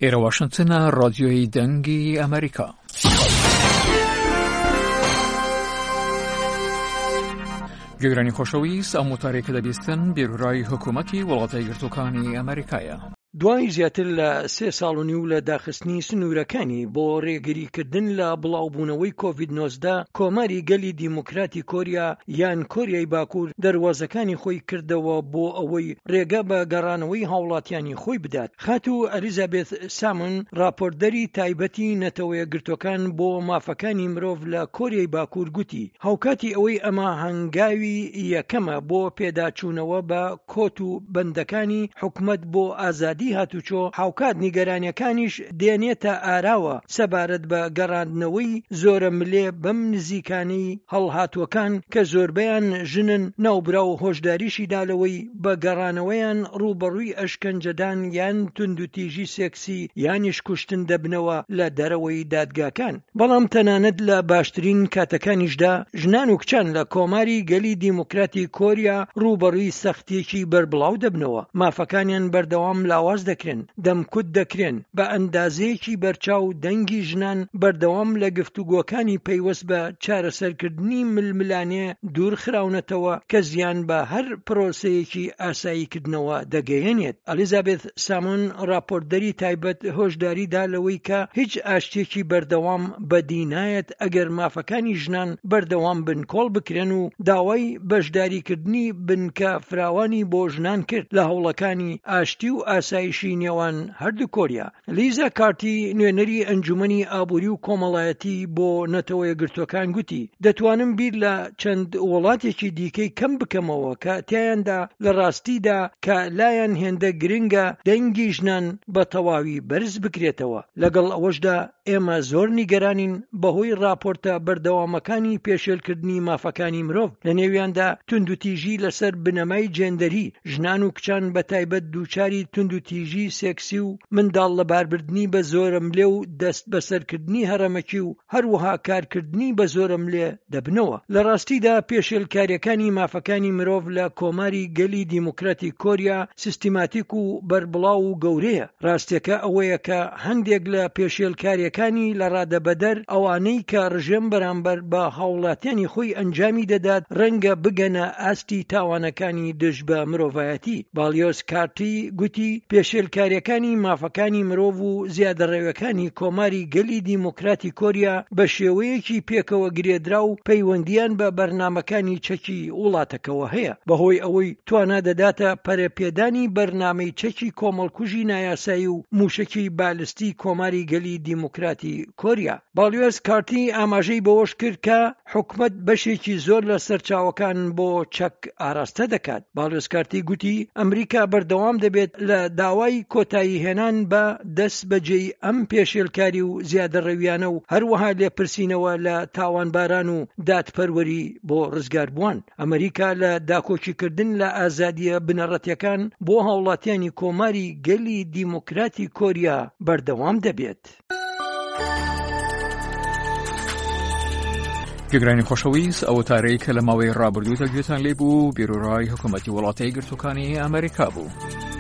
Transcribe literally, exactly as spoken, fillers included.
ئێرە واشنتنە، ڕادیۆی دەنگی ئەمریکا. گوێگرانی خۆشەویست، ئەم وتارەی کە دەبیستن بیرورای حکوومەتی وڵاتە یەکگرتووەکانی ئەمریکایە. دوای زیاتر لە سێ ساڵ و نیو لە داخستنی سنوورەکانی بۆ ڕێگریکردن لە بڵاوبوونەوەی کۆڤید نۆزدە، کۆماری گەلی دیموکراتی کۆریا یان کۆریای باکوور دەروازەکانی خۆی کردەوە بۆ ئەوەی ڕێگە بە گەڕانەوەی هاوڵاتیانی خۆی بدات. خاتوو ئەلیزابێث سامون، ڕاپۆرتدەری تایبەتی نەتەوەیەکگرتووەکان بۆ مافەکانی مرۆڤ لە کۆریای باکوور گوتی، هاوکاتی ئەوەی ئەمە هەنگاوی یەکەمە بۆ پێداچوونەوە بە کۆت و بەندەکانی حکومەت بۆ ئازادی هاتوچۆ، هاوکات نیگەرانیەکانیش دێنێتە ئاراوە سەبارەت بە گەڕاندنەوەی زۆرەملێ بەم نزیکانەی هەڵهاتووەکان کە زۆربەیان ژنن. ناوبراو هۆشداریشی دا لەوەی بە گەڕانەوەیان ڕووبەڕووی ئەشکەنجەدان یان توندوتیژی سێکسی یانیش کوشتن دەبنەوە لە دەرەوەی دادگاکان. بەڵام تەنانەت لە باشترین کاتەکانیشدا ژنان و کچان لە کۆماری گەلی دیموکراتی کۆریا ڕووبەڕووی سەختیەکی بەربڵاو دەبنەوە، مافەکانیان بەردەوام لاواز دەکرێن، دەمکوت دەکرێن، بە ئەندازەیەکی بەرچاو دەنگی ژنان بەردەوام لە گفتوگۆکانی پەیوەست بە چارەسەرکردنی ململانێ دوور خراونەتەوە کە زیان بە هەر پرۆسەیەکی ئاساییکردنەوە دەگەیەنێت. ئەلیزابێث سامۆن، ڕاپۆرتدەری تایبەت، هۆشداری دا لەوەی کە هیچ ئاشتیەکی بەردەوام بەدی نایەت ئەگەر مافەکانی ژنان بەردەوام بنکۆڵ بکرێن و داوای بەشداریکردنی بنکە فراوانی بۆ ژنان کرد لە هەوڵەکانی ئاشتی و ئاسایشی نێوان هەردوو کۆریا. لیزا کارتی، نوێنەری ئەنجومەنی ئابووری و کۆمەڵایەتی بۆ نەتەوە یەکگرتووەکان گوتی، دەتوانم بیر لە چەند وڵاتێکی دیکەی کەم بکەمەوە کە تیایاندا لە ڕاستیدا کە لایەن هێندە گرنگە دەنگی ژنان بە تەواوی بەرز بکرێتەوە. لەگەڵ ئەوەشدا ئێمە زۆر نیگەرانین بەهۆی ڕاپۆرتە بەردەوامەکانی پێشێلکردنی مافەکانی مرۆڤ، لە نێویاندا توندوتیژی لەسەر بنەمای جێندەری، ژنان و کچان بە تایبەت دووچاری توندوتیژی سێکسی و منداڵ لەباربردنی بە زۆرەملێ و دەست بەسەرکردنی هەڕەمەکی و هەروەها کارکردنی بە زۆرەملێ دەبنەوە. لە ڕاستیدا پێشێلکاریەکانی مافەکانی مرۆڤ لە کۆماری گەلی دیموکراتی کۆریا سیستماتیک و بەربڵاو و گەورەیە. ڕاستیەکە ئەوەیە کە هەندێک لە پێشێلکاریەکانی لە ڕادەبەدەر ئەوانەی کە ڕژێم بەرامبەر بە هاوڵاتیانی خۆی ئەنجامی دەدات ڕەنگە بگەنە ئاستی تاوانەکانی دژ بە مرۆڤایەتی. باڵیۆز کارتی گوتی پێشێلکاریەکانی مافەکانی مرۆڤ و زیادەڕەویەکانی کۆماری گەلی دیموکراتی کۆریا بە شێوەیەکی پێکەوە گرێدرا و پەیوەندیان بە بەرنامەکانی چەکی وڵاتەکەوە هەیە، بەهۆی ئەوەی توانا دەداتە پەرەپێدانی بەرنامەی چەکی کۆمەڵکوژی نایاسایی و موشەکی بالستی کۆماری گەلی دیموکراتی کۆریا. باڵیۆز کارتی ئاماژەی بەوەش کرد کە حکومەت بەشێکی زۆر لە سەرچاوەکان بۆ چەک ئاراستە دەکات. باڵیۆز کارتی گوتی ئەمریکا بەردەوام دەبێت لە داوای کۆتایی هێنان بە دەست بەجێی ئەم پێشێلکاری و زیادەڕەویانە و هەروەها لێپرسینەوە لە تاوانباران و دادپەروەری بۆ ڕزگاربووان. ئەمریکا لە داکۆکیکردن لە ئازادیە بنەڕەتیەکان بۆ هاوڵاتیانی کۆماری گەلی دیموکراتی کۆریا بەردەوام دەبێت. گوێگرانی خۆشەویست، ئەوە تارەی کە لە ماوەی ڕابردوودا گوێتان لێ بوو بیرۆڕای حکوومەتی وڵاتە یەکگرتووەکانی ئەمریکا بوو.